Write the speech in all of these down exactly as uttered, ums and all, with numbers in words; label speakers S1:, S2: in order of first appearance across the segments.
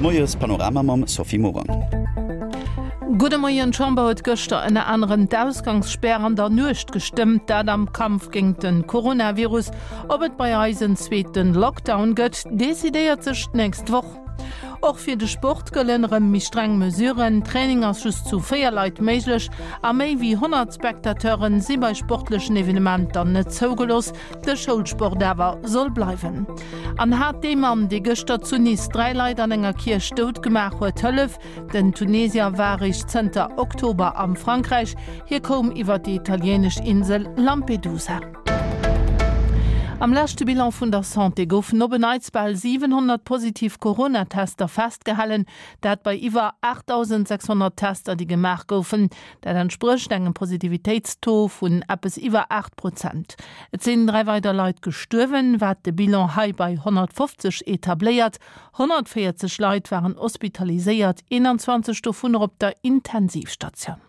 S1: Moies Panorama mam Sophie Morang.
S2: Gudde Moien, D'Chamber huet gëschter ënner anerem d'Ausgangsspär an der Nuecht gestëmmt, dat am Kampf géint de Coronavirus. Ob et bei eis en zweete Lockdown gëtt, decidéiert sech d'nächst Woch. Och fir de Sport gëllen erëm méi streng Mesuren, Training ass just zu véier Leit méiglech a méi wéi honnert Spectateuren si bei sportlechen Evenementer net zougelooss. De Schoulsport awer soll bleiwen. An hat dee Mann, dee gëschter zu Nice dräi Leit an enger Kierch dout gemaach huet, Hëllef? Den Tunesier war eréischt zënter Oktober am Frankräich. Hie koum iwwer déi italieenesch Insel Lampedusa. Am leschte Bilan vun der Santé goufen op en Neits bal siwenhonnert positiv Corona-Tester festgehalen, dat bei iwwer aachtdausend sechshonnert Tester, déi gemaach goufen. Dat entsprécht engem Positivitéitstaux vun eppes iwwer aacht Prozent. Et sinn dräi weider Leit gestuerwen, wat de Bilan hei bei honnertfofzeg etabléiert. Honnertvéierzeg Leit waren hospitaliséiert, eenanzwanzeg dovunner op der Intensivstatioun.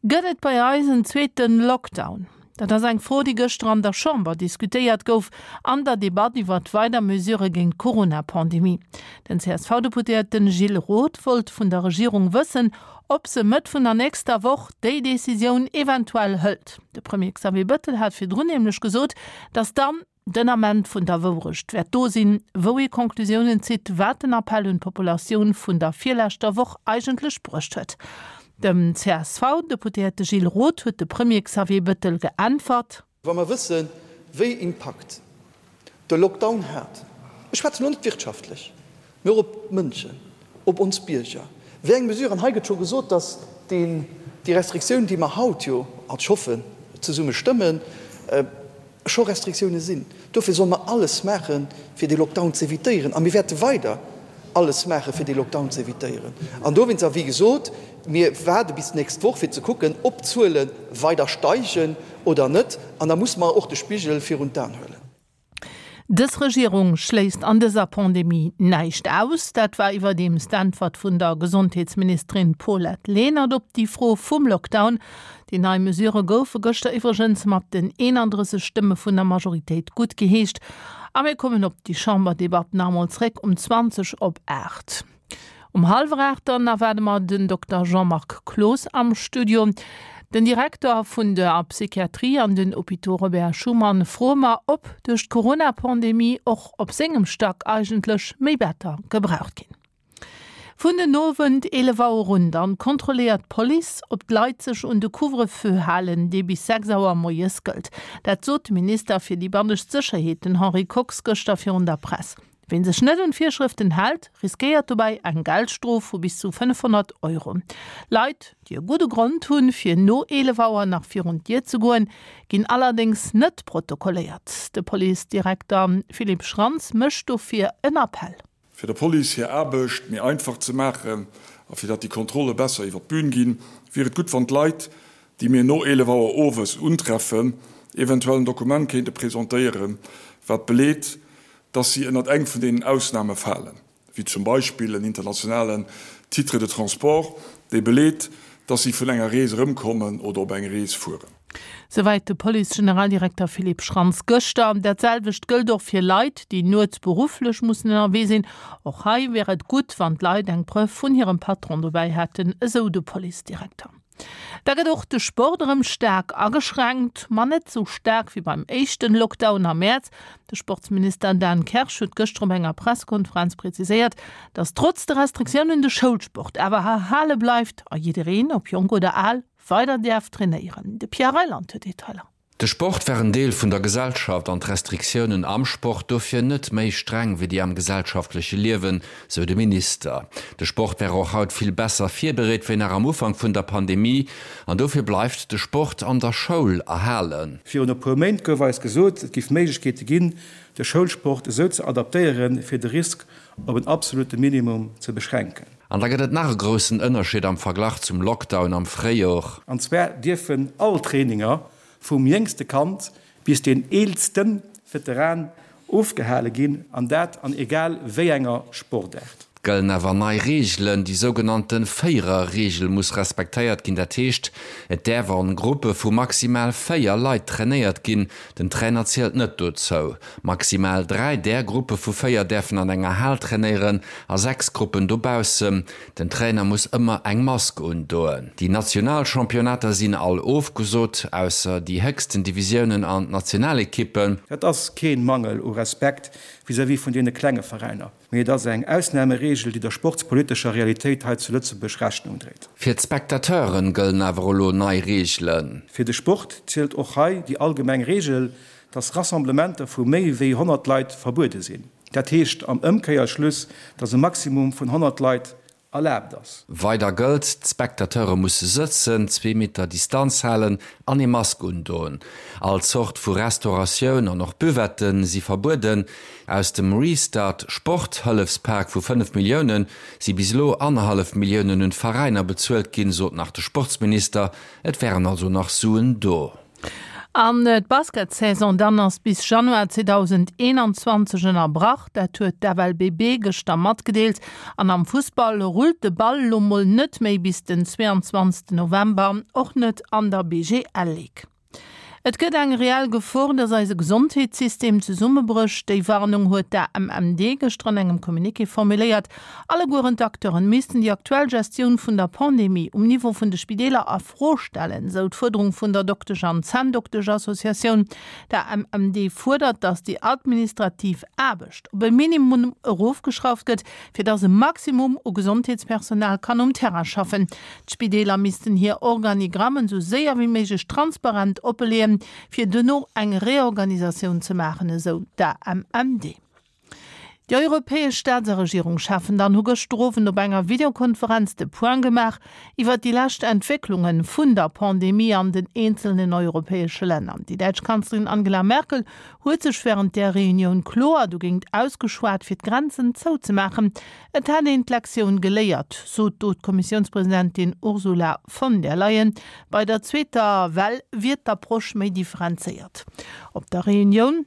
S2: Gëtt et bei eis en zweete Lockdown? Dat ass eng Fro, déi gëschter an der Chamber diskutéiert gouf an der Debatt iwwert weider Mesurë géint d'Corona-Pandemie. Den C S V-Deputéierte Gilles Roth wollt vun der Regierung wëssen, ob se Mëtt vun der nächster Woch déi Decisioun eventuell hëlt. De Premier Xavier Bettel hat virdrun nämlech gesot, datt dann den Ament vun der Wourecht wäert do sinn, wou ee Conclusiounen zitt, wat den Appell un d'Populatioun vun der virleschter Woch eigentlech bruecht huet. Dem C S V-Deputéierte Gilles Roth huet de Premier Xavier Bettel geäntwert.
S3: Wa mer wëssen, wéi Impakt de Lockdown hat, ech schwätzen elo net wirtschaftlech, mee och op d'Mënschen, op ons Bierger, wéi eng Mesuren, hei gëtt scho gesot, datt deen, déi Restriktioun, déi mer haut jo, ech hoffen, zesumme stëmmen, scho Restriktioune sinn. Dofir solle mer alles maachen, fir dee Lockdown ze evitéieren. A mir wäerte weider alles maachen, fir dee Lockdown ze evitéieren. An dowéinst, a wéi gesot, mir waarde bis d'nächst Woch, fir ze kucken, ob d'Zuele weider steigen oder net. An da musse mer och de Spigel virun d'Aen huelen.
S2: Dës Regierung schléisst an dëser Pandemie näischt aus. Dat war iwwerdeems d'Äntwert vun der Gesondheetsministerin Paulette Lenert op déi Fro vum Lockdown. Déi nei Mesurë goufe gëschter iwwregens mat den eenandrësseg Stëmme vun der Majoritéit guttgeheescht. A mir kommen op déi Chamberdebatt nach emol zréck um zwanzeg op aacht. Um hallwer aacht dann erwaarde mer den Dokter Jean-Marc Cloos am Studio. Den Direkter vun der Psychiatrie an den Hôpitaux Robert Schuman froe mer, ob duerch d'Corona-Pandemie och op sengem Stack eigentlech méi Better gebraucht ginn. Vun den Owend eelef Auer un dann kontrolléiert d'Police, ob d'Leit sech un de Couvre-feu halen, dee bis sechs Auer moies gëllt. Dat sot de Minister fir déi bannescht Sécherheet, den Henri Kox, gëschter virun der Press. Ween sech net un d'Virschrëften hält, riskéiert dobäi eng Geldstrof vu bis zu fënnefhonnert Euro. Leit, déi e gudde Grond hunn, fir no eelef Auer nach virun d'Dier ze goen, ginn allerdéngs net protokolléiert. De Policedirekter Philippe Schrantz mécht dofir en Appell.
S4: Fir der Police hir Aarbecht méi einfach ze maachen a fir datt déi Kontrolle besser iwwer d'Bün ginn, wier et gutt, wann d'Leit, déi mir no eelef Auer owes untreffen, eventuell en Dokument kéinte presentéieren, wat beleet, datt si ënnert eng vun deenen Ausname falen, wéi zum Beispill en internationalen Titre de transport, dee beleet, datt si vun enger Rees erëmkommen oder op eng Rees fueren.
S2: Souwäit de Police-Generaldirekter Philippe Schrantz gëschter. Dat selwecht gëllt och fir Leit, déi nuets berufflech mussen ënnerwee sinn. Och hei wär et gutt, wann d'Leit eng Preuve vun hirem Patron dobäi hätten, esou de Policedirekter. Da gëtt och de Sport erëm staark ageschränkt, ma net sou staark wéi beim éischten Lockdown am Mäerz. De Sportsminister Dan Kersch huet gëschter op enger Pressekonferenz preziséiert, datt trotz de Restriktiounen de Schoulsport awer erhale bleift a jiddereen, ob jonk oder al, weider däerf trainéieren. De Pierre Reyland huet Detailer.
S5: De Sport wär en Deel vun der Gesellschaft an d'Restriktiounen am Sport dofir net méi streng wéi déi am gesellschaftleche Liewen, sou de Minister. De Sport wär och haut vill besser virbereet wéi nach am Ufank vun der Pandemie an dofir bleift de Sport an der Schoul erhalen.
S6: Virun e puer Méint gouf eis gesot, et giff Méiglechkeete ginn, de Schoulsport esou ze adaptéieren, fir de Risk op en absolute Minimum ze beschränken.
S5: An da gëtt et nach e groussen Ënnerscheed am Verglach zum Lockdown am Fréijor.
S6: An zwar dierfen all Traininger vum jéngste Kand bis deen eelste Veteran ofgehale ginn, an dat an egal wéi enger Sportaart.
S5: Gëllen awer nei Reegelen, déi sougenannte Véierer-Reegel muss respektéiert ginn, dat heescht, et däerf an Gruppe vu maximal véier Leit trainéiert ginn, den Trainer zielt net dozou. Maximal dräi där Gruppe vu véier däerfen an enger Hal trainéieren a sechs Gruppen dobaussen. Den Trainer muss ëmmer eng Mask undoen. Déi national Championnater sinn all ofgesot, ausser déi héchsten Divisiounen an d'Nationalekippen.
S6: Dat ass kee Mangel u Respekt vis-à-vis vun deene klenge Veräiner, mee et ass eng Ausnamereegel, déi der sportspolitescher Realitéit hei zu Lëtzebuerg Rechnung dréit.
S5: Fir d'Spectateuren gëllen awer elo nei Reegelen.
S6: Fir de Sport zielt och hei déi allgemeng Reegel, dass Rassemblementer vu méi wéi honnert Leit verbuede sinn. Dat heescht am Ëmkéierschluss, dass e Maximum vun honnert Leit erlaabt ass.
S5: Weider gëllt, D'Spectateure musse sëtzen, zwee Meter Distanz halen an ee Mask undoen. All Zort vu Restauratioun an och Buvette si verbueden. Aus dem Restart Sport-Hëllefspak vu fënnef Millioune si bis elo annerhallef Milliounen un d'Veräiner bezuelt ginn, sot nach de Sportsminister. Et wären also nach Suen do.
S2: An d'Basketsaison dann ass bis Januar zweedausendeenanzwanzeg ënnerbrach, dat huet d'FLBB gëschter matgedeelt. An am Fussball rullt de Ball lo mol net méi bis den zweeanzwanzegsten November, och net an der B G L Ligue. Et gëtt eng reell Gefor, dass eise Gesondheetssystem zesummebrécht. Déi Warnung huet d'A M M D gëschter an engem Communiqué formuléiert. Allegueren d'Acteuren missten déi aktuell Gestioun vun der Pandemie um Niveau vun de Spideeler a Fro stellen, sou d'Fuerderung vun der Doktesch an Zänndoktesch-Associatioun. D'A M M D fuerdert, dass déi administrativ Aarbecht op e Minimum erofgeschrauft gëtt, fir dass e Maximum u Gesondheetspersonal kann um Terrain schaffen. D'Spideeler missten hir Organigrammen sou séier wéi méiglech transparent oppeleeën, fir duerno eng Reorganisatioun ze maachen, esou d'A M M D. Déi europäesch Staats a Regierungscheffen dann hu gëschter Owend op enger Videokonferenz de Point gemaach iwwer déi lescht Entwécklunge vun der Pandemie an den eenzelnen europäesche Länner. Déi däitsch Kanzlerin Angela Merkel huet sech wärend der Reunioun kloer dogéint ausgeschwat, fir d'Grenzen zouzemaachen. Et hätt een d'Lektioun geléiert, sot do d'Kommissiounspresidentin Ursula von der Leyen. Bei der zweeter Well wier d'Approche méi differenzéiert. Op der Reunioun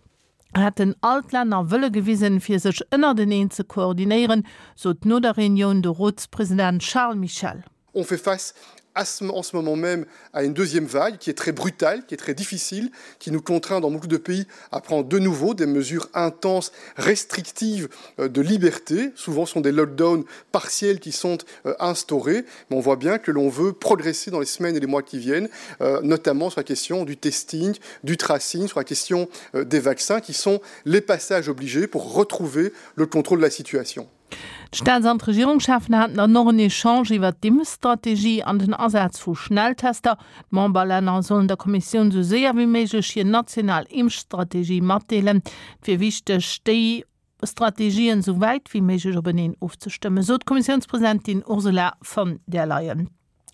S2: hätten all d'Länner Wëlle gewisen, fir sech ënnerteneen ze koordinéieren, sot no der Reunioun de Rotspresident Charles Michel.
S7: On fait face à ce, en ce moment même à une deuxième vague qui est très brutale, qui est très difficile, qui nous contraint dans beaucoup de pays à prendre de nouveau des mesures intenses, restrictives euh, de liberté. Souvent ce sont des lockdowns partiels qui sont euh, instaurés, mais on voit bien que l'on veut progresser dans les semaines et les mois qui viennent, euh, notamment sur la question du testing, du tracing, sur la question des vaccins qui sont les passages obligés pour retrouver le contrôle de la situation.
S2: D'Staats an d'Regierungscheffen haten dann och en Echange iwwer d'Impfstrategie an den Asaz vu Schnelltester. D'Memberlänner sollen der Kommissioun sou séier wéi méiglech hir national Impfstrategie matdeelen. Et wier wichteg, déi Strategien sou wäit wéi méiglech openeen ofzestëmmen, sot d'Kommissiounspresidentin Ursula von der Leyen.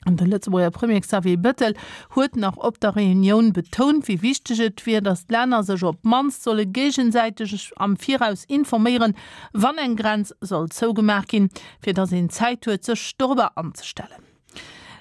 S2: An de Lëtzebuerger Premier Xavier Bettel huet nach op der Reunioun betount, wéi wichteg et wier, datt d'Länner sech op d'mannst solle géigesäiteg am Viraus informéieren, wann eng Grenz soll zougemaach ginn, fir datt een Zäit huet, sech dorobber anzestellen.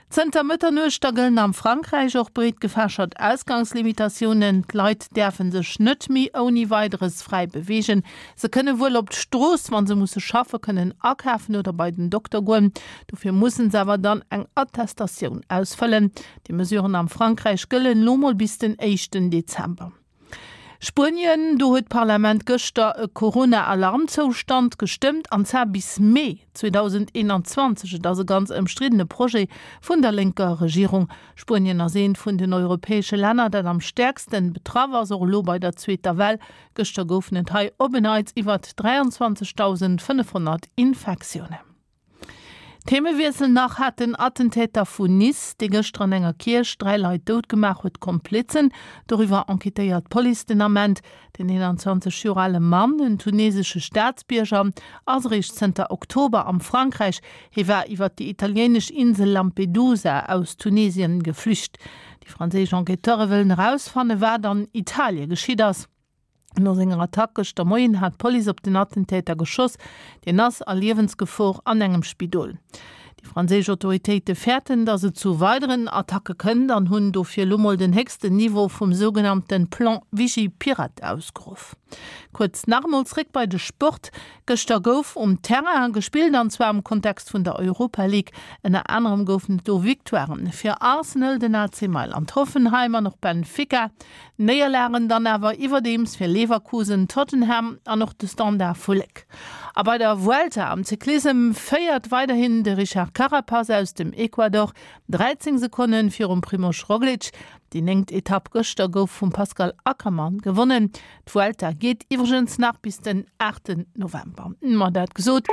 S2: Zënter Mëtternuecht da gëllen am Frankräich och breet gefächert Ausgangslimitatiounen. D'Leit däerfe sech net méi ouni Weideres fräi beweegen. Se kënne wuel op d'Strooss, wa se musse schaffen, kënnen akafen oder bei den Dokter goen. Dofir musse se awer dann eng Attestatioun ausfëllen. Déi Mesuren am Frankräich gëllen lo mol bis den éischten Dezember. Spuenien, do huet d'Parlament gëschter e Corona-Alarmzoustand gestëmmt, an zwar bis Mee zweedausendeenanzwanzeg. Et ass e ganz ëmstriddene Projet vun der lénker Regierung. Spuenien ass eent vun den europäesche Länner, dat am stäerkste betraff ass, och elo bei der zweeter Well. Gëschter goufen et hei op en Neits iwwer dräianzwanzegdausendfënnefhonnert Infektiounen. Themewiessel nach. Hat den Attentäter vun Nice, dee gëschter an enger Kierch dräi Leit dout gemaach huet, Komplizen? Doriwwer enquêtéiert d'Police den Ament. Den eenanzwanzeg Joer ale Mann, en tunesesche Staatsbierger, ass eréischt zënter Oktober am Frankräich. Hie war iwwer déi italieenesch Insel Lampedusa aus Tunesien geflücht. Déi franséisch Enquêteure wëllen erausfannen, wat an Italie geschitt ass. No senger Attack gëschter Moien hat d'Police op den Attentäter geschoss, deen ass a Liewensgefor an engem Spidol. Déi franséisch Autoritéite fäerten, datt et zu weideren Attacke kënnt an hunn dofir lo mol den héchsten Niveau vum sougenannte Plan Vigipirate ausgeruff. Kuerz nach emol zréck bei de Sport, Gëschter gouf um Terrain gespillt an zwar am Kontext vun der Europa League. Ënner anerem goufen et do Victoiren fir Arsenal, den A C Mailand, Hoffenheim an och Benfica. Néierlagen dann awer iwwerdeems fir Leverkusen, Tottenham an och de Standard vu Léck. A bei der Vuelta am Cyclissem féiert weiderhin de Richard Carapaz aus dem Ecuador, dräizéng Sekonne virum Primož Roglič. Déi néngt Etapp gëschter gouf vum Pascal Ackermann gewonnen. D'Vuelta geet iwwregens nach bis den aachten November. Ma dat gesot,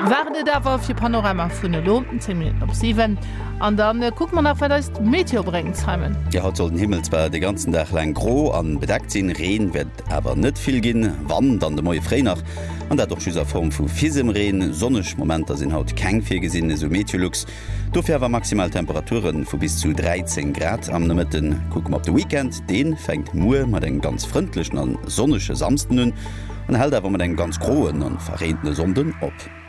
S2: war et et awer fir Panorama vun elo, zéng Minutten op siwen. An da kucke mer nach, wat eis d'Meteo bréngt, Simon.
S1: Jo, haut soll den Himmel zwar de ganzen Dag laang gro an bedeckt sinn, Reen wäert awer net vill ginn, wann, dann de Moie fréi nach, an dat och just a Form vu Fisemreen. Sonneg Momenter sinn haut keng virgesinn, esou Meteolux. Dofir awer maximal Temperature vu bis zu dräizéng Grad am Nomëtten. Kucke mer op de Weekend, dee fänkt muer mat engem ganz frëndlechen an sonnege Samsden un an hält awer mat engem ganz groen an verreentene Sonnden op.